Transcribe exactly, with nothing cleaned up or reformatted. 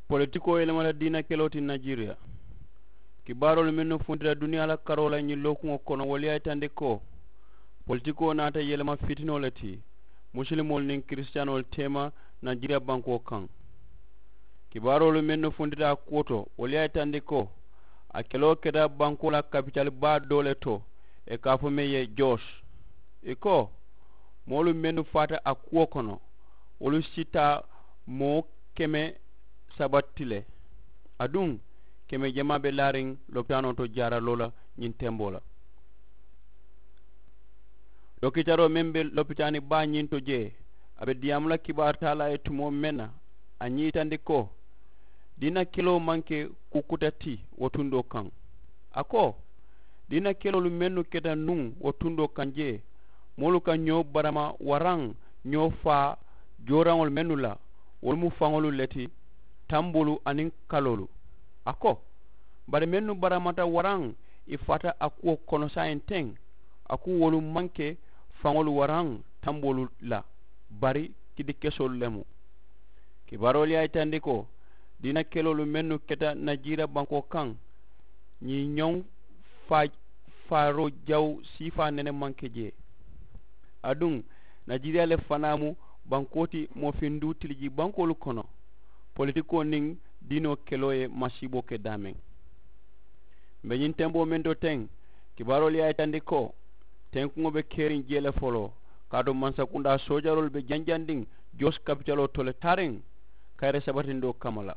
Politikoo yelemata diina keloo ti najeriya. Kibaaroolu mennu funtita duniyaa la karoo la ñiŋ lookuŋo kono wolu ye a yitandi ko politikoo naata yelema fitinoo le ti musilimoolu niŋ kirisitaanoolu teema najeriya bankoo kaŋ. Kibaaroolu mennu funtita a kuwo to wolu ye a yitandi ko a keloo keta bankoo la kapitali baa doo le to, ì ka a fo meŋ ye joos. Ì ko moolu mennu faata a kuwo kono wolu si taa moo keme saba ti le. Aduŋ keme jamaa be laariŋ lopitaanoo to jaaraloo la ñiŋ temboo la. Dokitaroo meŋ be lopitaani baa ñiŋ to jee a be diyaamu la kibaaru taalaa ye tumoo meŋ na a ñiitandi ko diina keloo maŋ ke kukkuta ti wo tundoo kaŋ. A ko diina keloolu mennu keta nuŋ wo tundoo kaŋ jee moolu ka ñoo barama waraŋ ñoo faa jooraŋolu mennu la wolu mu faŋolu le ti tamboolu aniŋ kaloolu. A ko bari mennu baramata waraŋ ì faata a kuwo kono saayiŋ teŋ a ku wolu maŋ ke faŋolu waraŋ tamboolu la bari kidi kesoolu le mu. Kibaaroolu ye a yitandi ko diina keloolu mennu keta najeriya bankoo kaŋ ñiŋ ñoŋ faa faaroo jaw siifaa nene maŋ ke jee. Aduŋ najeriya le fanaa mu bankoo ti moofinduu tiliji bankoolu kono politikoo niŋ diinoo keloo ye masiiboo ke daameŋ. Mbe ñiŋ temboo meŋ to teŋ kibaaroolu ye a yitandi ko tenkuŋo be keriŋ jee le foloo kaatu mansakundaa soojaroolu be janjandiŋ joos kapitaloo to le taariŋ kayiri sabatindoo kamma la.